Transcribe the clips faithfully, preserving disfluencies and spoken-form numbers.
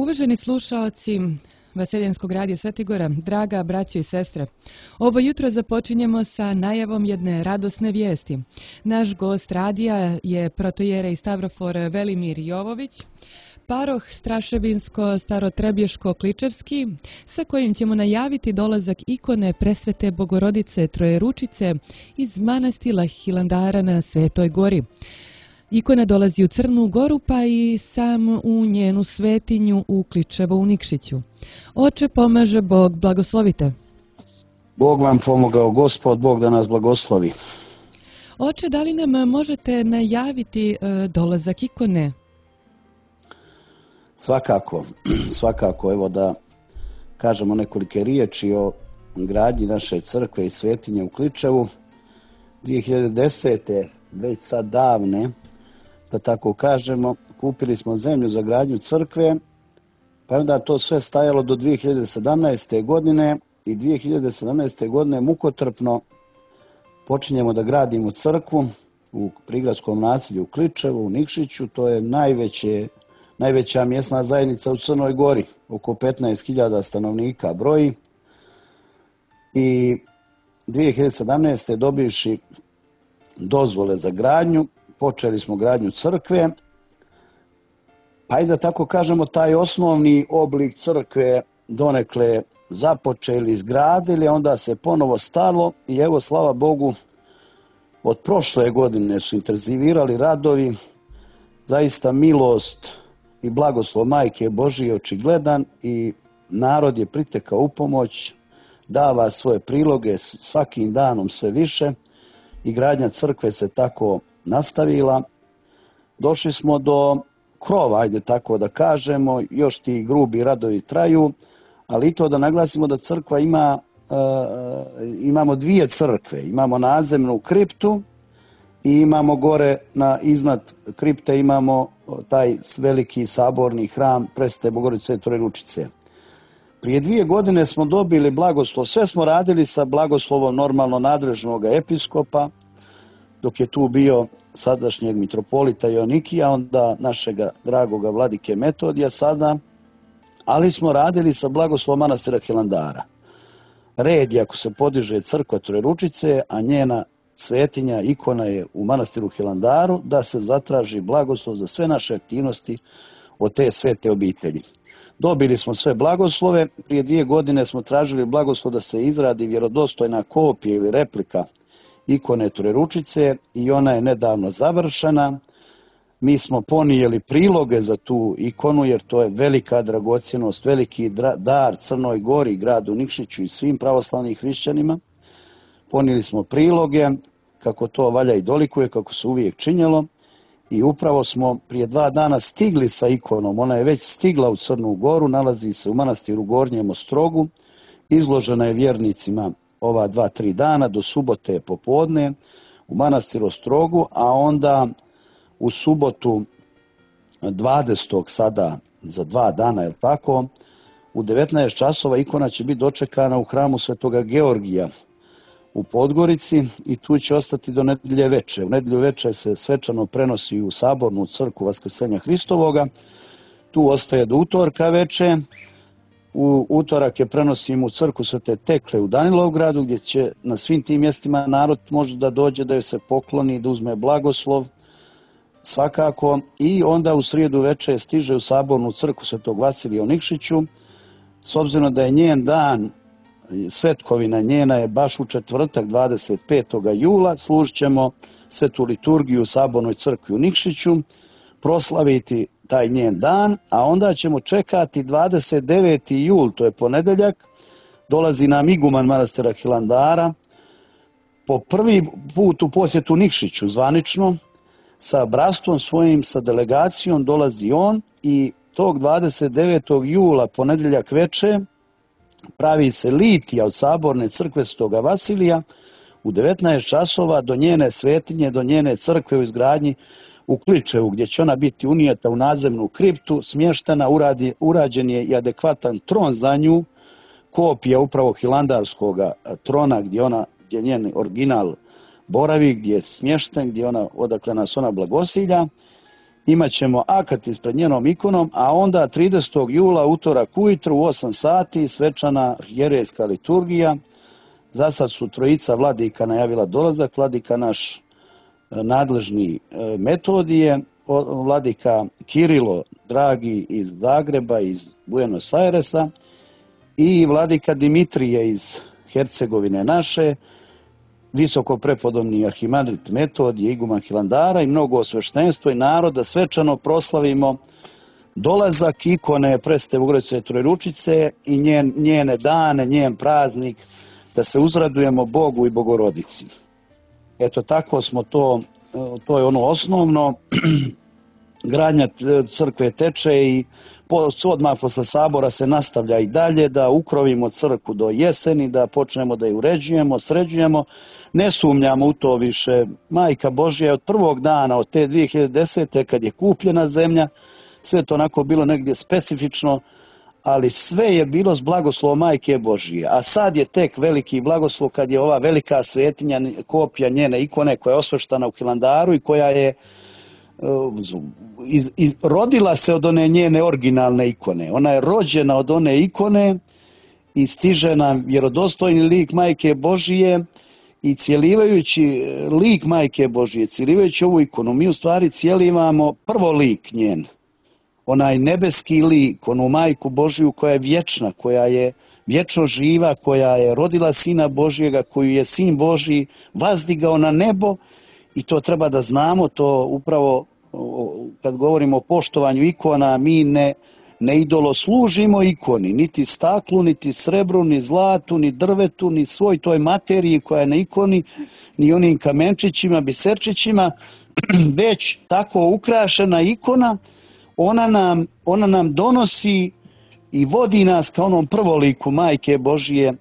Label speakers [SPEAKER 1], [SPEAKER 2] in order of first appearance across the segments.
[SPEAKER 1] Uvaženi slušaoci Vaseljenskog radija Svetigora, draga braćo i sestre, ovo jutro započinjemo sa najavom jedne radosne vijesti. Naš gost radija je protojerej Stavrofor Velimir Jovović, paroh Straševinsko-Starotrebješko-Kličevski, sa kojim ćemo najaviti dolazak ikone Presvete Bogorodice Trojeručice iz manastira Hilandara na Svetoj gori. Ikona dolazi u Crnu Goru, pa i sam u njenu svetinju u Kličevo u Nikšiću. Oče, pomaže Bog, blagoslovite.
[SPEAKER 2] Bog vam pomogao, Gospod, Bog da nas blagoslovi.
[SPEAKER 1] Oče, da li nam možete najaviti e, dolazak ikone?
[SPEAKER 2] Svakako, svakako, evo da kažemo nekolike riječi o gradnji naše crkve i svetinje u Kličevu. dvije hiljade desete. već sad davne, da tako kažemo, kupili smo zemlju za gradnju crkve, pa onda to sve stajalo do dvije hiljade sedamnaeste. godine i dvije hiljade sedamnaeste. godine mukotrpno počinjemo da gradimo crkvu u prigradskom naselju u Kličevu, u Nikšiću. To je najveće, najveća mjesna zajednica u Crnoj Gori, oko petnaest hiljada stanovnika broji. I dvije hiljade sedamnaeste. dobivši dozvole za gradnju, počeli smo gradnju crkve, pa i da tako kažemo taj osnovni oblik crkve donekle započeli, izgradili, onda se ponovo stalo i evo, slava Bogu, od prošle godine su intenzivirali radovi, zaista milost i blagoslov Majke Božije je očigledan i narod je pritekao u pomoć, dava svoje priloge svakim danom sve više i gradnja crkve se tako nastavila. Došli smo do krova, ajde tako da kažemo, još ti grubi radovi traju, ali i to da naglasimo da crkva ima, e, imamo dvije crkve, imamo nadzemnu kriptu i imamo gore na, iznad kripte imamo taj veliki saborni hram Presvete Bogorodice Trojeručice. Prije dvije godine smo dobili blagoslov, sve smo radili sa blagoslovom normalno nadležnog episkopa, dok je tu bio sadašnjeg mitropolita Joanikija, onda našega dragoga vladike Metodija sada, ali smo radili sa blagoslovom manastira Hilandara. Red je ako se podiže crkva Trojeručice, a njena svetinja, ikona je u manastiru Hilandaru, da se zatraži blagoslov za sve naše aktivnosti od te svete obitelji. Dobili smo sve blagoslove, prije dvije godine smo tražili blagoslov da se izradi vjerodostojna kopija ili replika ikone Trojeručice i ona je nedavno završena. Mi smo ponijeli priloge za tu ikonu jer to je velika dragocjenost, veliki dar Crnoj Gori, gradu Nikšiću i svim pravoslavnim hrišćanima. Ponijeli smo priloge kako to valja i dolikuje, kako se uvijek činjelo. I upravo smo prije dva dana stigli sa ikonom, ona je već stigla u Crnu Goru, nalazi se u manastiru Gornjem Ostrogu, izložena je vjernicima ova dva, tri dana, do subote popodne u manastiru Ostrogu, a onda u subotu dvadesetog sada, za dva dana, je tako, u devetnaest časova ikona će biti dočekana u hramu Svetoga Georgija u Podgorici i tu će ostati do nedjelje veče. U nedjelju veče se svečano prenosi u sabornu crkvu Vaskrsenja Hristovoga. Tu ostaje do utorka veče. U utorak je prenosimo u crkvu Svete Tekle u Danilovgradu, gdje će na svim tim mjestima narod može da dođe, da joj se pokloni, da uzme blagoslov svakako. I onda u srijedu veče stiže u sabornu crkvu Svetog Vasilija u Nikšiću. S obzirom da je njen dan, svetkovina njena je baš u četvrtak dvadeset petog jula, služit ćemo svetu liturgiju u sabornoj crkvi u Nikšiću, proslaviti taj njen dan, a onda ćemo čekati dvadeset deveti jul, to je ponedeljak, dolazi nam iguman manastira Hilandara, po prvi put u posjetu Nikšiću zvanično, sa bratstvom svojim, sa delegacijom dolazi on i tog dvadeset devetog jula, ponedeljak veče, pravi se litija od saborne crkve Svetoga Vasilija u devetnaest časova do njene svetinje, do njene crkve u izgradnji u Kličevu, gdje će ona biti unijeta u nadzemnu kriptu, smještena, uradi, urađen je i adekvatan tron za nju, kopija upravo hilandarskog trona gdje ona, gdje njen original boravi, gdje je smješten, gdje ona, odakle nas ona blagosilja. imat ćemo akat ispred njenom ikonom, a onda tridesetog jula, utorak ujutru u osam sati, svečana arhijerejska liturgija. Za sad su trojica vladika najavila dolazak, vladika naš nadležni Metodije, vladika Kirilo, dragi iz Zagreba, iz Buenos Airesa, i vladika Dimitrije iz Hercegovine naše, visoko prepodobni arhimandrit Metodije, iguman Hilandara i mnogo osveštenstvo i naroda svečano proslavimo dolazak ikone Presvete Bogorodice Trojeručice i njen, njene dane, njen praznik, da se uzradujemo Bogu i Bogorodici. Eto, tako smo to, to je ono osnovno. Gradnja crkve teče i odmah posle sabora se nastavlja i dalje, da ukrovimo crkvu do jeseni, da počnemo da je uređujemo, sređujemo. Ne sumnjamo u to više. Majka Božja je od prvog dana, od te dvije hiljade desete. kad je kupljena zemlja, sve to onako bilo negdje specifično, ali sve je bilo s blagoslovom Majke Božije. A sad je tek veliki blagoslov kad je ova velika svetinja, kopija njene ikone koja je osveštana u Hilandaru i koja je Iz, iz, rodila se od one njene originalne ikone. Ona je rođena od one ikone i stiže nam vjerodostojni lik Majke Božije i cijelivajući lik Majke Božije, cijelivajući ovu ikonu, mi u stvari cijelivamo prvo lik njen, onaj nebeski lik, onu Majku Božiju koja je vječna, koja je vječno živa, koja je rodila Sina Božjega, koju je Sin Božji vazdigao na nebo. I to treba da znamo, to upravo kad govorimo o poštovanju ikona, mi ne, ne idoloslužimo ikoni, niti staklu, niti srebru, ni zlatu, ni drvetu, ni svoj toj materiji koja je na ikoni, ni onim kamenčićima, biserčićima, već tako ukrašena ikona, ona nam, ona nam donosi i vodi nas ka onom prvoliku Majke Božije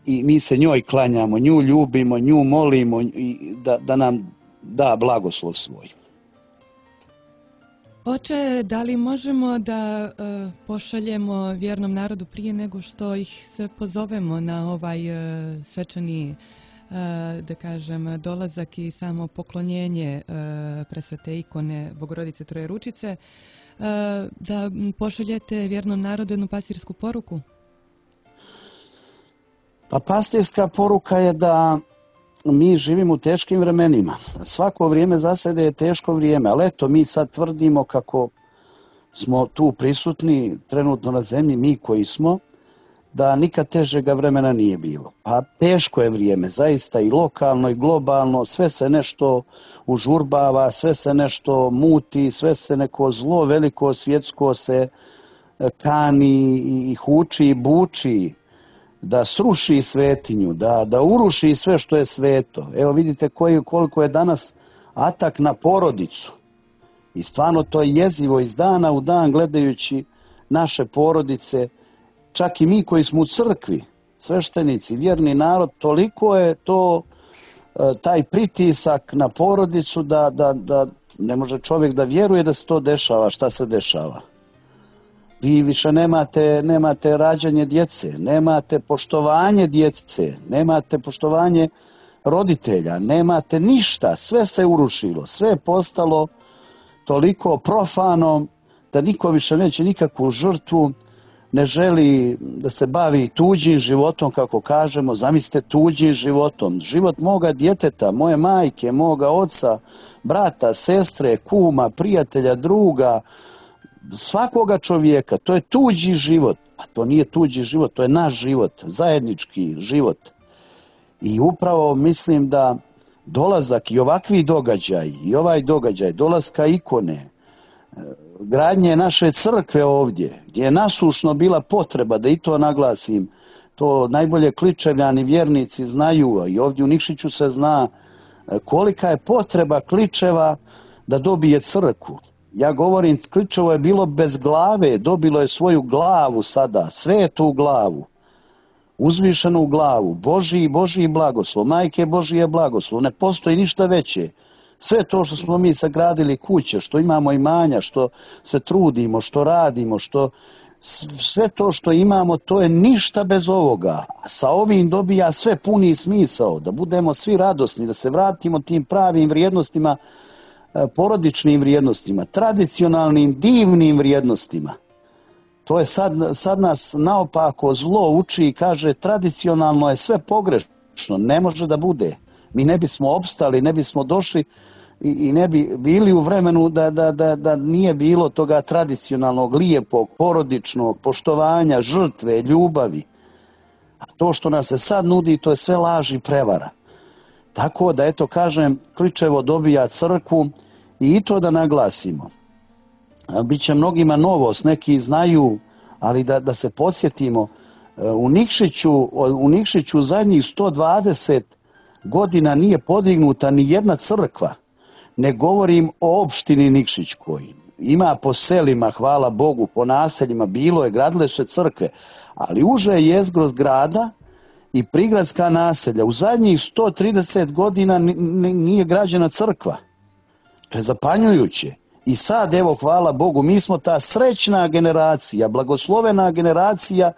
[SPEAKER 2] i mi se njoj klanjamo, nju ljubimo, nju molimo i da, da nam da blagoslov svoj.
[SPEAKER 1] Oče, da li možemo da uh, pošaljemo vjernom narodu prije nego što ih se pozovemo na ovaj uh, svečani, uh, da kažem, dolazak i samo poklonjenje uh, presvete ikone Bogorodice Trojeručice, uh, da pošaljete vjernom narodu jednu pastirsku poruku?
[SPEAKER 2] Pa pastirska poruka je da mi živimo u teškim vremenima. Svako vrijeme za sebe je teško vrijeme, ali eto, mi sad tvrdimo kako smo tu prisutni trenutno na zemlji, mi koji smo, da nikad težega vremena nije bilo. A teško je vrijeme, zaista i lokalno i globalno, sve se nešto užurbava, sve se nešto muti, sve se neko zlo veliko svjetsko se kani i huči i buči da sruši svetinju, da, da uruši sve što je sveto. Evo vidite koji, koliko je danas atak na porodicu. I stvarno to je jezivo iz dana u dan gledajući naše porodice, čak i mi koji smo u crkvi, sveštenici, vjerni narod, toliko je to taj pritisak na porodicu da, da, da ne može čovjek da vjeruje da se to dešava, šta se dešava. Vi više nemate, nemate rađanje djece, nemate poštovanje djece, nemate poštovanje roditelja, nemate ništa, sve se urušilo, sve je postalo toliko profano da niko više neće nikakvu žrtvu, ne želi da se bavi tuđim životom, kako kažemo, zamislite tuđim životom, život moga djeteta, moje majke, moga oca, brata, sestre, kuma, prijatelja, druga, svakoga čovjeka, to je tuđi život, a to nije tuđi život, to je naš život, zajednički život. I upravo mislim da dolazak i ovakvi događaj, i ovaj događaj, dolaska ikone, gradnje naše crkve ovdje, gdje je nasušno bila potreba, da i to naglasim, to najbolje Kličevljani vjernici znaju, i ovdje u Nikšiću se zna kolika je potreba Kličeva da dobije crkvu. Ja govorim, Kličevo je bilo bez glave, dobilo je svoju glavu sada, svetu glavu, uzvišenu glavu, Božji, Božji blagoslov, Majke Božije blagoslov, ne postoji ništa veće. Sve to što smo mi sagradili kuće, što imamo imanja, što se trudimo, što radimo, što sve to što imamo, to je ništa bez ovoga. Sa ovim dobija sve puni smisao, da budemo svi radosni, da se vratimo tim pravim vrijednostima porodičnim vrijednostima, tradicionalnim, divnim vrijednostima. To je sad, sad nas naopako zlo uči i kaže tradicionalno je sve pogrešno, ne može da bude. Mi ne bismo opstali, ne bismo došli i, i ne bi bili u vremenu da, da, da, da nije bilo toga tradicionalnog, lijepog, porodičnog, poštovanja, žrtve, ljubavi. A to što nas se sad nudi, to je sve laž i prevara. Tako da, eto, kažem, Kličevo dobija crkvu i to da naglasimo. Biće mnogima novost, neki znaju, ali da, da se podsjetimo, u Nikšiću, u Nikšiću zadnjih sto dvadeset godina nije podignuta ni jedna crkva. Ne govorim o opštini Nikšićkoj. Ima po selima, hvala Bogu, po naseljima, bilo je, gradile su se crkve, ali uže jezgro grada i prigradska naselja u zadnjih sto trideset godina nije građena crkva. To je zapanjujuće. I sad, evo, hvala Bogu, mi smo ta srećna generacija, blagoslovena generacija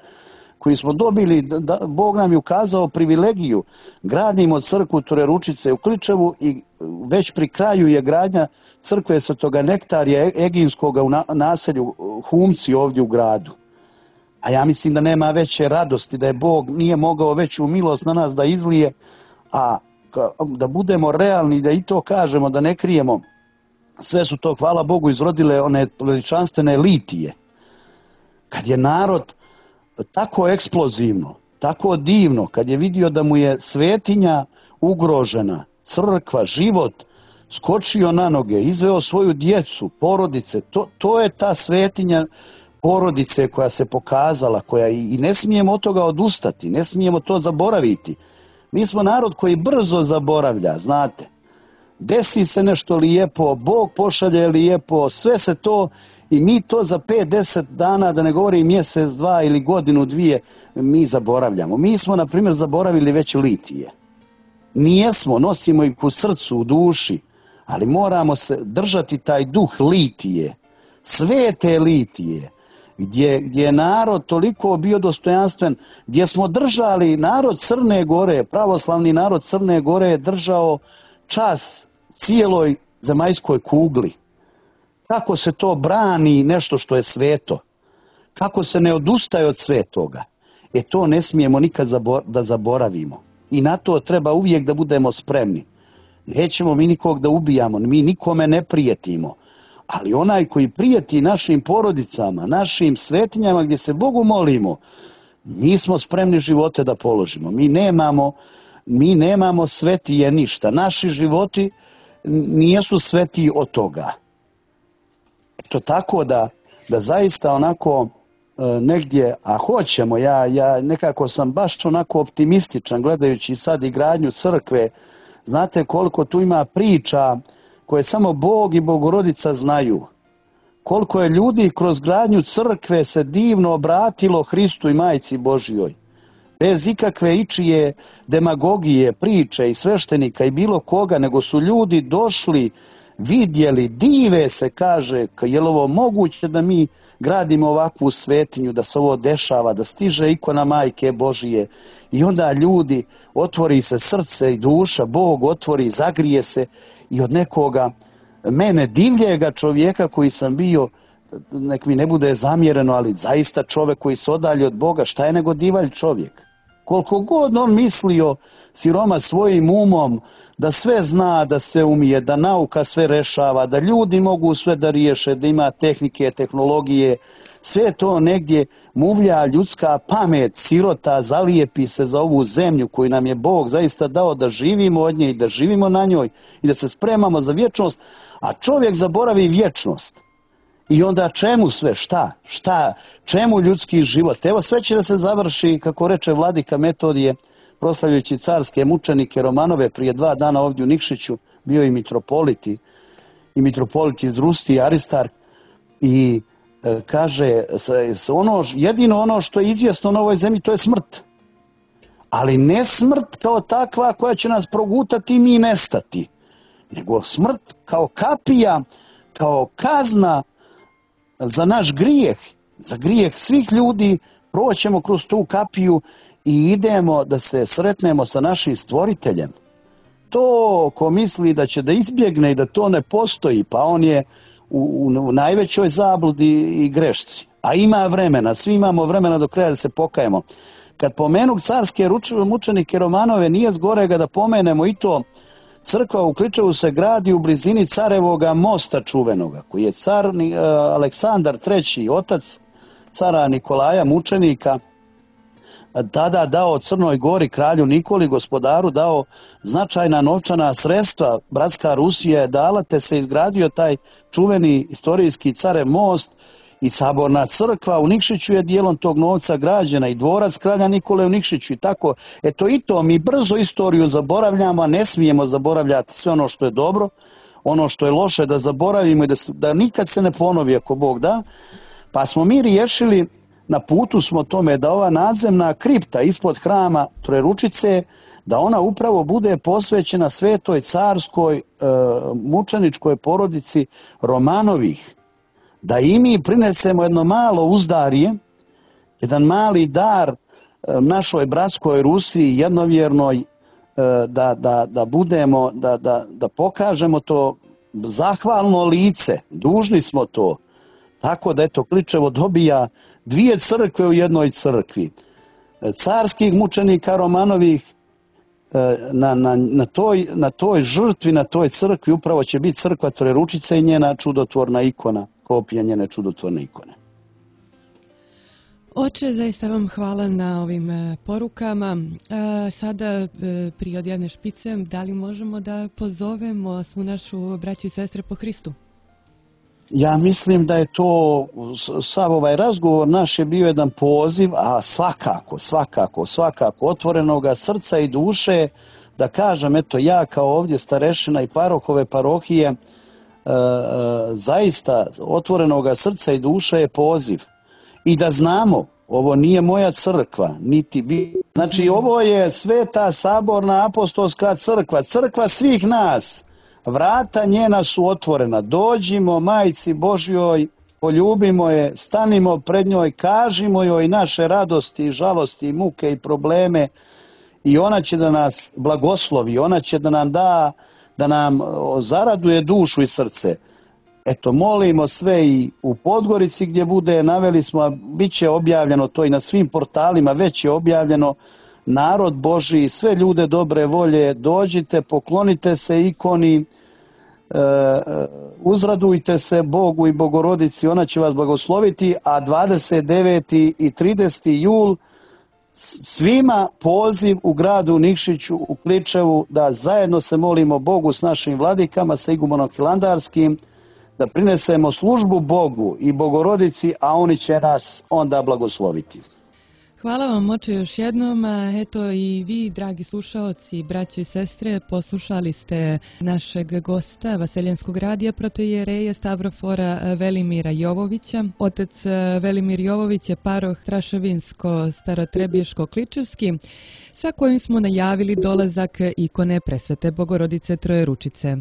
[SPEAKER 2] koji smo dobili, da, Bog nam je ukazao privilegiju. Gradimo crkvu Trojeručice u Kličevu i već pri kraju je gradnja crkve Svetoga Nektarija Eginskoga u naselju Humci ovdje u gradu. A ja mislim da nema veće radosti, da je Bog nije mogao veću milost na nas da izlije, a da budemo realni, da i to kažemo, da ne krijemo. Sve su to, hvala Bogu, izrodile one veličanstvene litije. Kad je narod tako eksplozivno, tako divno, kad je vidio da mu je svetinja ugrožena, crkva, život, skočio na noge, izveo svoju djecu, porodice, to, to je ta svetinja porodice koja se pokazala, koja i, i ne smijemo od toga odustati, ne smijemo to zaboraviti. Mi smo narod koji brzo zaboravlja, znate. Desi se nešto lijepo, Bog pošalje lijepo, sve se to i mi to za pet, deset dana, da ne govorim mjesec, dva ili godinu, dvije, mi zaboravljamo. Mi smo, na primjer, zaboravili već litije. Nijesmo, nosimo ih u srcu, u duši, ali moramo se držati taj duh litije, svete litije, gdje, gdje je narod toliko bio dostojanstven, gdje smo držali narod Crne Gore, pravoslavni narod Crne Gore je držao čas cijeloj zemaljskoj kugli. Kako se to brani nešto što je sveto? Kako se ne odustaje od svetoga? E to ne smijemo nikad da zaboravimo. I na to treba uvijek da budemo spremni. Nećemo mi nikog da ubijamo, mi nikome ne prijetimo. Ali onaj koji prijeti našim porodicama, našim svetinjama gdje se Bogu molimo, mi smo spremni živote da položimo. Mi nemamo Mi nemamo svetije ništa. Naši životi nijesu svetiji od toga. Eto tako da, da zaista onako e, negdje, a hoćemo, ja, ja nekako sam baš onako optimističan gledajući sad i gradnju crkve. Znate koliko tu ima priča koje samo Bog i Bogorodica znaju. Koliko je ljudi kroz gradnju crkve se divno obratilo Hristu i Majci Božjoj. Bez ikakve ičije demagogije, priče i sveštenika i bilo koga, nego su ljudi došli, vidjeli, dive se, kaže, je li ovo moguće da mi gradimo ovakvu svetinju, da se ovo dešava, da stiže ikona Majke Božije. I onda ljudi, otvori se srce i duša, Bog otvori, zagrije se i od nekoga, mene divljega čovjeka koji sam bio, nek mi ne bude zamjereno, ali zaista čovjek koji se odalje od Boga, šta je nego divalj čovjek? Koliko god on mislio siroma svojim umom da sve zna, da sve umije, da nauka sve rešava, da ljudi mogu sve da riješe, da ima tehnike, tehnologije, sve to negdje muvlja ljudska pamet, sirota, zalijepi se za ovu zemlju koju nam je Bog zaista dao da živimo od nje i da živimo na njoj i da se spremamo za vječnost, a čovjek zaboravi vječnost. I onda čemu sve, šta, šta, čemu ljudski život? Evo sve će da se završi, kako reče vladika Metodije, proslavljajući carske mučenike Romanove prije dva dana ovdje u Nikšiću, bio i mitropolit i, i mitropolit iz Rusti, Aristar, i e, kaže, s, ono, jedino ono što je izvjesno na ovoj zemlji, to je smrt. Ali ne smrt kao takva koja će nas progutati i mi nestati, nego smrt kao kapija, kao kazna za naš grijeh, za grijeh svih ljudi, proćemo kroz tu kapiju i idemo da se sretnemo sa našim stvoriteljem. to ko misli da će da izbjegne i da to ne postoji, pa on je u, u, u najvećoj zabludi i grešci. A ima vremena, svi imamo vremena do kraja da se pokajemo. Kad pomenu carske mučenike Romanove, nije zgorega da pomenemo i to. Crkva u Kličevu se gradi u blizini Carevoga mosta čuvenoga, koji je car Aleksandar treći, otac cara Nikolaja mučenika, tada dao Crnoj Gori, kralju Nikoli, gospodaru, dao značajna novčana sredstva. Bratska Rusija je dala, te se izgradio taj čuveni istorijski Carev most i saborna crkva u Nikšiću je dijelom tog novca građena i dvorac kralja Nikole u Nikšiću i tako. Eto i to, mi brzo istoriju zaboravljamo, a ne smijemo zaboravljati sve ono što je dobro, ono što je loše da zaboravimo i da, da nikad se ne ponovi ako Bog da. Pa smo mi riješili, na putu smo tome da ova nadzemna kripta ispod hrama Trojeručice, da ona upravo bude posvećena svetoj carskoj e, mučeničkoj porodici Romanovih. Da i mi prinesemo jedno malo uzdarje, jedan mali dar e, našoj bratskoj Rusiji, jednovjernoj, e, da, da, da budemo, da, da, da pokažemo to zahvalno lice, dužni smo to. Tako da eto Kličevo dobija dvije crkve u jednoj crkvi. Carskih mučenika Romanovih na, na, na, toj, na toj žrtvi, na toj crkvi upravo će biti crkva Trojeručice i njena čudotvorna ikona, kopija njene čudotvorne ikone.
[SPEAKER 1] Oče, zaista vam hvala na ovim porukama. Sada prije odjavne špice, da li možemo da pozovemo svu našu braću i sestre po Hristu?
[SPEAKER 2] Ja mislim da je to, sav ovaj razgovor naš je bio jedan poziv, a svakako, svakako, svakako otvorenoga srca i duše, da kažem, eto ja kao ovdje starešina i parohove parohije, e, e, zaista otvorenoga srca i duše je poziv. I da znamo, ovo nije moja crkva, niti bi... Znači, ovo je Sveta saborna apostolska crkva, crkva svih nas. Vrata njena su otvorena. Dođimo Majci Božjoj, poljubimo je, stanimo pred njoj, kažimo joj naše radosti, žalosti, muke i probleme i ona će da nas blagoslovi, ona će da nam da, da nam zaraduje dušu i srce. Eto, molimo sve i u Podgorici gdje bude, naveli smo, a bit će objavljeno to i na svim portalima, već je objavljeno. Narod Božji, sve ljude dobre volje, dođite, poklonite se ikoni, e, uzradujte se Bogu i Bogorodici, ona će vas blagosloviti, a dvadeset deveti i trideseti jul svima poziv u gradu Nikšiću, u Kličevu, da zajedno se molimo Bogu s našim vladikama, sa igumanom Hilandarskim, da prinesemo službu Bogu i Bogorodici, a oni će nas onda blagosloviti.
[SPEAKER 1] Hvala vam, oče, još jednom. Eto i vi, dragi slušaoci, braćo i sestre, poslušali ste našeg gosta Vaseljenskog radija, protoijereja Stavrofora Velimira Jovovića. Otac Velimir Jovović je paroh Traševinsko-Starotrebješko-Kličevski, sa kojim smo najavili dolazak ikone Presvete Bogorodice Trojeručice.